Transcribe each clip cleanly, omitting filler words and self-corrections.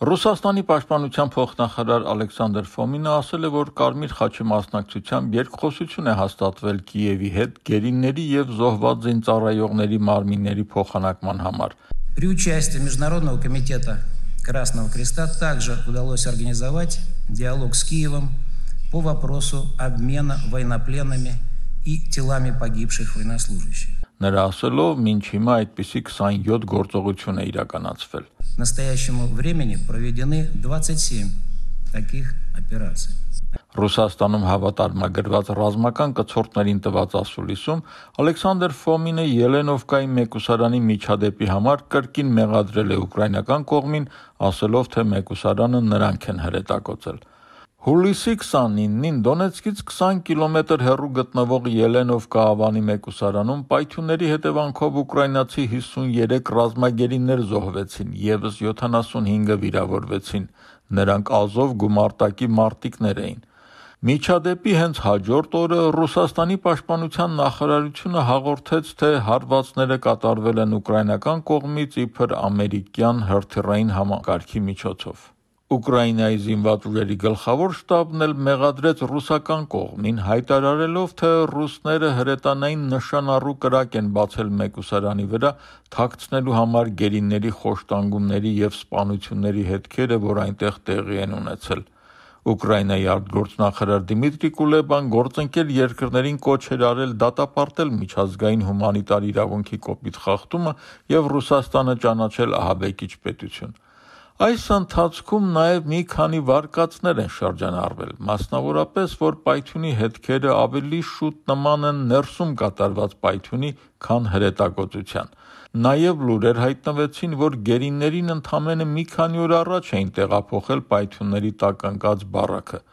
Ռուսաստանի պաշտպանության փոխնախարար Ալեքսանդր Ֆոմինը ասել է, որ Կարմիր խաչի մասնակցությամբ երկխոսություն է հաստատվել Կիևի հետ գերիների և զոհված զինծառայողների մարմինների փոխանակման համար։ При участии Международного комитета Красного Креста также удалось организовать диалог с Киевом по вопросу обмена военнопленными и телами погибших военнослужащих. Նրա ասելով, մինչ հիմա այդպիսի 27 գործողություն է իրականացվել։ К настоящему времени проведены 27 таких операций. Ռուսաստանում հավատարմագրված ռազմական կցորդներին տված ասուլիսում Ալեքսանդր Ֆոմինը Ելենովկայի մեկուսարանի միջադեպի համար կրկին մեղադրել է ուկրաինական կողմին, ասելով, թե մեկուսարանը նրանք են հրետակոծել։ Հուլիսի 29-ին Դոնեցկից 20 կիլոմետր հեռու գտնվող Ելենովկա ավանի մեկուսարանում պայթյունների հետևանքով ուկրաինացի 53 ռազմագերիներ զոհվեցին, ևս 75-ը վիրավորվեցին։ Նրանք Ազով գումարտակի մարտիկներ էին։ Միջադեպի հենց հաջորդ օրը Ռուսաստանի պաշտպանության նախարարությունը հաղորդեց, թե հարվածները կատարվել են ուկրաինական կողմից իբր ամերիկյան հրթիռային համակարգի միջոցով։ Ուկրաինայի զինված ուժերի գլխավոր շտաբն էլ մեղադրեց ռուսական կողմին, հայտարարելով, թե ռուսները հրետանային նշանառու կրակ են բացել մեկուսարանի վրա, թաքցնելու համար գերիների խոշտանգումների և սպանությունների հետքերը, որ այնտեղ տեղի են ունեցել։ Ուկրաինայի արտգործնախարար Դիմիտրի Կուլեբան գործընկեր երկրներին կոչ էր արել դատապարտել միջազգային հումանիտար իրավունքի կոպիտ խախտումը և Ռուսաստանը ճանաչել ահաբեկիչ պետություն։ Այս ընթացքում նաև մի քանի վարկածներ են շրջանառվել, մասնավորապես, որ պայթյունի հետքերը ավելի շուտ նման են ներսում կատարված պայթյունի, քան հրետակոծության։ Նաև լուրեր հայտնվեցին, որ գերիներին ընդամենը մի քանի օր առաջ էին տեղափոխել պայթյունների տակ ընկած բառաքը։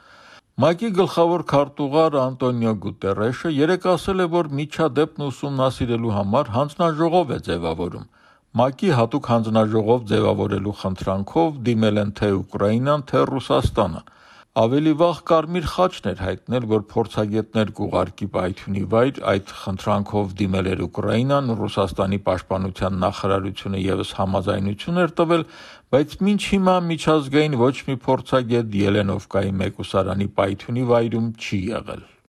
ՄԱԿ-ի գլխավոր քարտուղար Անտոնիո Գուտերեշը երեկ ասել է, որ միջադեպն ուսումնասիրելու համար հանձնաժողով է ձևավորում։ ՄԱԿ-ի հատուկ հանձնաժողով ձևավորելու խնդրանքով դիմել են թե Ուկրաինան, թե Ռուսաստանը։ Ավելի վաղ Կարմիր խաչն էր հայտնել, որ փորձագետներ կուղարկի պայթյունի վայր, այդ խնդրանքով դիմել էր Ուկրաինան, Ռուսաստանի պաշտպանության նախարարությունը ևս համաձայնություն էր տվել, բայց մինչ հիմա միջազգային ոչ մի փորձագետ Ելենովկայի մեկուսարանի պայթյունի վայրում չի եղել։